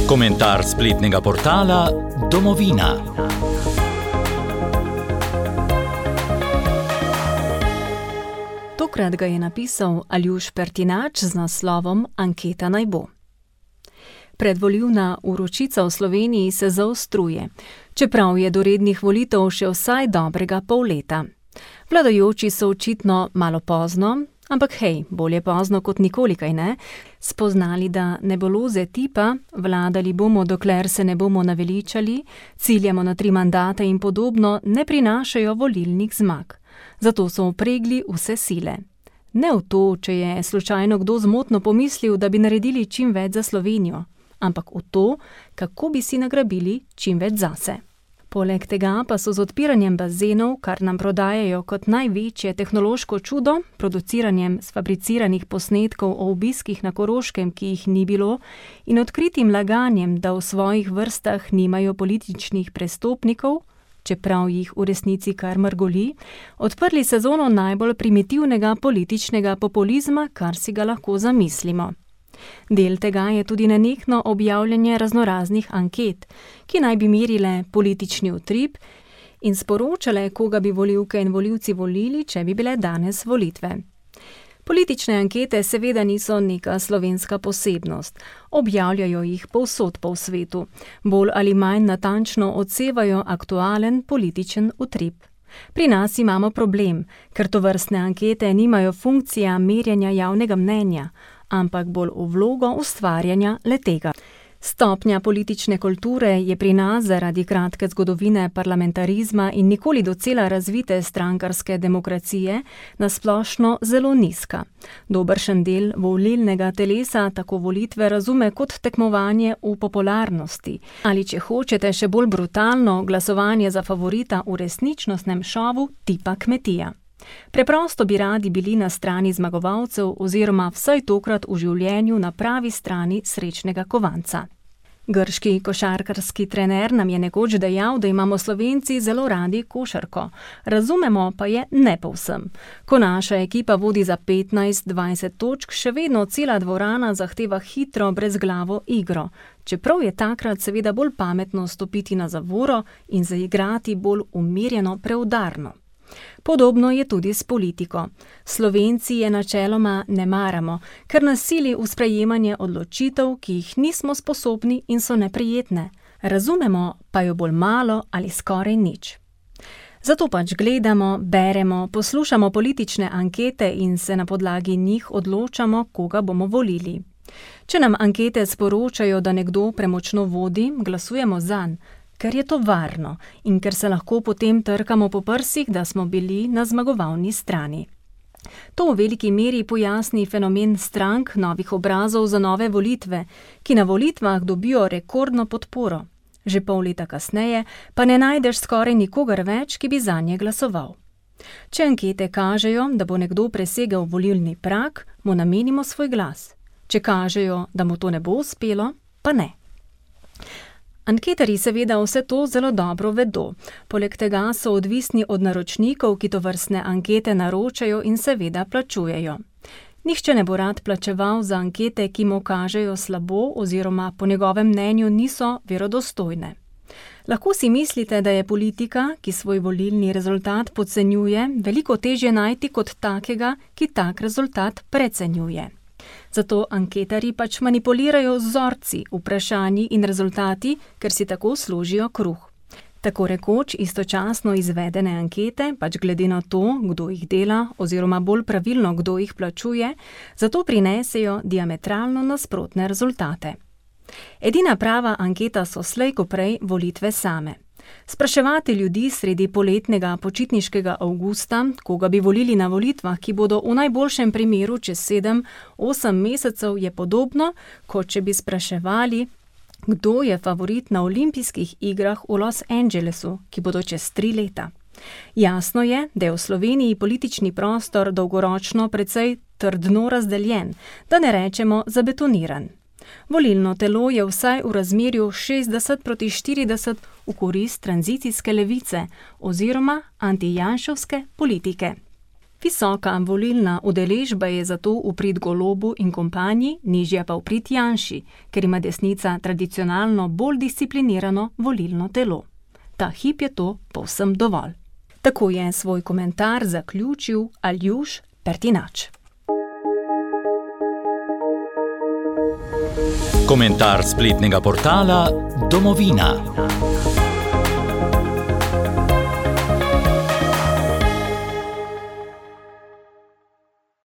Komentar spletnega portala Domovina. Tokrat ga je napisal Aljuš Pertinač z naslovom Anketa naj bo. Predvolilna vročica v Sloveniji se zaostruje, čeprav je do rednih volitev še vsaj dobrega pol leta. Vladajoči so očitno malo pozno, ampak hej, bolje pozno kot nikoli, kaj ne, spoznali, da nebuloze tipa vladali bomo, dokler se ne bomo naveličali, ciljamo na 3 mandate in podobno, ne prinašajo volilnih zmag. Zato so vpregli vse sile. Ne v to, če je slučajno kdo zmotno pomislil, da bi naredili čim več za Slovenijo, ampak v to, kako bi si nagrabili čim več zase. Poleg tega pa so z odpiranjem bazenov, kar nam prodajajo kot največje tehnološko čudo, produciranjem sfabriciranih posnetkov o obiskih na Koroškem, ki jih ni bilo, in odkritim laganjem, da v svojih vrstah nimajo političnih prestopnikov, čeprav jih v resnici kar mrgoli, odprli sezono najbolj primitivnega političnega populizma, kar si ga lahko zamislimo. Del tega je tudi nenehno objavljanje raznoraznih anket, ki naj bi merile politični utrip in sporočale, koga bi volivke in volivci volili, če bi bile danes volitve. Politične ankete seveda niso neka slovenska posebnost, objavljajo jih povsod po svetu, bolj ali manj natančno odsevajo aktualen političen utrip. Pri nas imamo problem, ker tovrstne ankete nimajo funkcija merjenja javnega mnenja, ampak bolj v vlogo ustvarjanja le-tega. Stopnja politične kulture je pri nas zaradi kratke zgodovine parlamentarizma in nikoli docela razvite strankarske demokracije nasplošno zelo nizka. Dobršen del volilnega telesa tako volitve razume kot tekmovanje v popularnosti, ali če hočete še bolj brutalno, glasovanje za favorita v resničnostnem šovu tipa kmetija. Preprosto bi radi bili na strani zmagovalcev oziroma vsaj tokrat v življenju na pravi strani srečnega kovanca. Grški košarkarski trener nam je nekoč dejal, da imamo Slovenci zelo radi košarko. Razumemo pa je ne povsem. Ko naša ekipa vodi za 15-20 točk, še vedno cela dvorana zahteva hitro, brezglavo igro. Čeprav je takrat seveda bolj pametno stopiti na zavoro in zaigrati bolj umirjeno, preudarno. Podobno je tudi s politiko. Slovenci je načeloma ne maramo, ker nas sili v sprejemanje odločitev, ki jih nismo sposobni in so neprijetne. Razumemo pa jo bolj malo ali skoraj nič. Zato pač gledamo, beremo, poslušamo politične ankete in se na podlagi njih odločamo, koga bomo volili. Če nam ankete sporočajo, da nekdo premočno vodi, glasujemo zanj, ker je to varno in ker se lahko potem trkamo po prsih, da smo bili na zmagovalni strani. To v veliki meri pojasni fenomen strank novih obrazov za nove volitve, ki na volitvah dobijo rekordno podporo. Že pol leta kasneje pa ne najdeš skoraj nikogar več, ki bi zanje glasoval. Če ankete kažejo, da bo nekdo presegel volilni prag, mu namenimo svoj glas. Če kažejo, da mu to ne bo uspelo, pa ne. Anketarji seveda vse to zelo dobro vedo, poleg tega so odvisni od naročnikov, ki tovrstne ankete naročajo in seveda plačujejo. Nihče ne bo rad plačeval za ankete, ki mu kažejo slabo oziroma po njegovem mnenju niso verodostojne. Lahko si mislite, da je politika, ki svoj volilni rezultat podcenjuje, veliko težje najti kot takega, ki tak rezultat precenjuje. Zato anketarji pač manipulirajo z vzorci, vprašanji in rezultati, ker si tako služijo kruh. Tako rekoč istočasno izvedene ankete, pač glede na to, kdo jih dela oziroma bolj pravilno, kdo jih plačuje, zato prinesejo diametralno nasprotne rezultate. Edina prava anketa so slej ko prej volitve same. Spraševati ljudi sredi poletnega počitniškega avgusta, koga bi volili na volitvah, ki bodo v najboljšem primeru čez 7-8 mesecev, je podobno, kot če bi spraševali, kdo je favorit na olimpijskih igrah v Los Angelesu, ki bodo čez 3 leta. Jasno je, da je v Sloveniji politični prostor dolgoročno precej trdno razdeljen, da ne rečemo zabetoniran. Volilno telo je vsaj v razmerju 60:40 v korist tranzicijske levice oziroma antijanševske politike. Visoka volilna udeležba je zato v prid Golobu in kompanji, nižja pa v prid Janši, ker ima desnica tradicionalno bolj disciplinirano volilno telo. Ta hip je to povsem dovolj. Tako je svoj komentar zaključil Aljuš Pertinač. Komentar spletnega portala Domovina.